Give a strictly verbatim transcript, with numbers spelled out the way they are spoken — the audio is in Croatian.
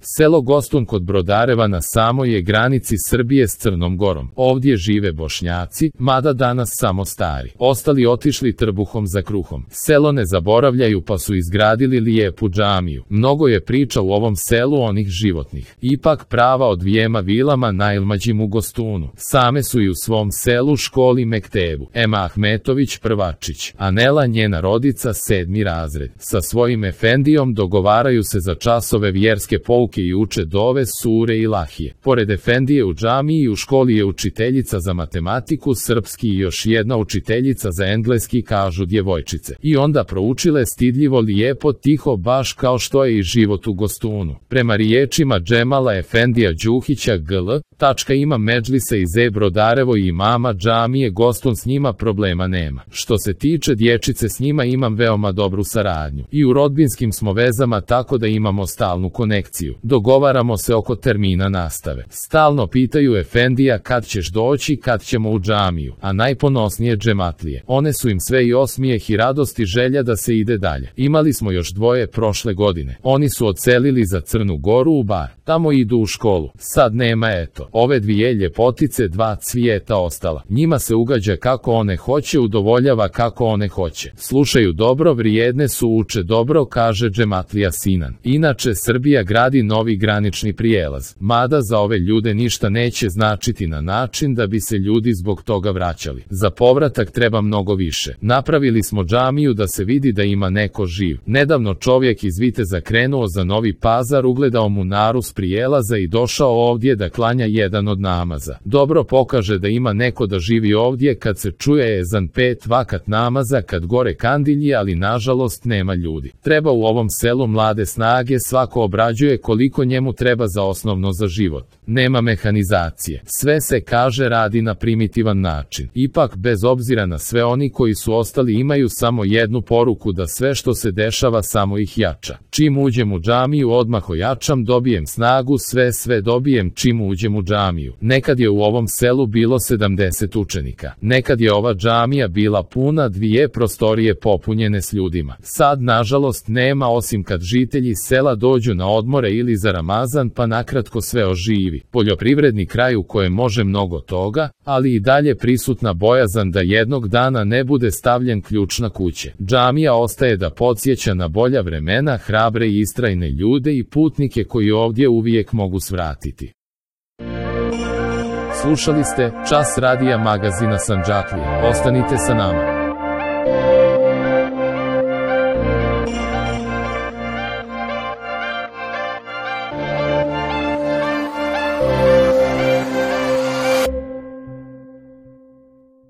Selo Gostun kod Brodareva na samoj je granici Srbije s Crnom Gorom. Ovdje žive Bošnjaci, mada danas samo stari. Ostali otišli trbuhom za kruhom. Selo ne zaboravljaju pa su izgradili lijepu džamiju. Mnogo je priča u ovom selu onih životnih. Ipak prava od dvijema vilama najlmađim u Gostunu. Same su i u svom selu školi Mektebu. Ema Ahmetović Prvačić, a Nela njena rodica sedmi razred. Sa svojim efendijom dogovaraju se za časove vjerske pouke i uče dove, sure i lahije. Pored efendije u džamiji i u školi je učiteljica za matematiku, srpski i još jedna učiteljica za engleski, kažu djevojčice. I onda proučile stidljivo lijepo tiho baš kao što je i život u Gostunu. Prema riječima Džemala Efendija Đuhića gl. Tačka ima medžlise iz E Brodarevo i imama džamije Gostun, s njima problema nema. Što se tiče dječice, s njima imam veoma dobru saradnju. I u rodbinskim smo vezama, tako da imamo stalnu konekciju. Dogovaramo se oko termina nastave. Stalno pitaju Efendija kad ćeš doći, kad ćemo u džamiju, a najponosnije džematlije. One su im sve i osmijeh i radost i želja da se ide dalje. Imali smo još dvoje prošle godine. Oni su odselili za Crnu Goru u Bar. Tamo idu u školu. Sad nema, eto. Ove dvije ljepotice, dva cvijeta ostala. Njima se ugađa kako one hoće, udovoljava kako one hoće. Slušaju dobro, vrijedne su, uče dobro, kaže džematlija Sinan. Inače, Srbija gradi novi granični prijelaz. Mada za ove ljude ništa neće značiti na način da bi se ljudi zbog toga vraćali. Za povratak treba mnogo više. Napravili smo džamiju da se vidi da ima neko živ. Nedavno čovjek iz Viteza krenuo za Novi Pazar, ugledao munaru s prijelaza i došao ovdje da klanja jedan od namaza. Dobro pokaže da ima neko da živi ovdje kad se čuje ezan pet vakat namaza, kad gore kandilje, ali nažalost nema ljudi. Treba u ovom selu mlade snage, svako obrađuje koliko njemu treba za osnovno za život. Nema mehanizacije. Sve se, kaže, radi na primitivan način. Ipak, bez obzira na sve, oni koji su ostali imaju samo jednu poruku, da sve što se dešava samo ih jača. Čim uđem u džamiju odmah ojačam, dobijem snagu, sve sve dobijem čim uđem u džamiju. Nekad je u ovom selu bilo sedamdeset učenika. Nekad je ova džamija bila puna, dvije prostorije popunjene s ljudima. Sad, nažalost, nema, osim kad žitelji sela dođu na odmore ili za Ramazan, pa nakratko sve oživi. Poljoprivredni kraj u kojem može mnogo toga, ali i dalje prisutna bojazan da jednog dana ne bude stavljen ključ na kuće. Džamija ostaje da podsjeća na bolja vremena, hrabre i istrajne ljude i putnike koji ovdje uvijek mogu svratiti. Slušali ste Čas radija magazina Sandžaklija. Ostanite sa nama.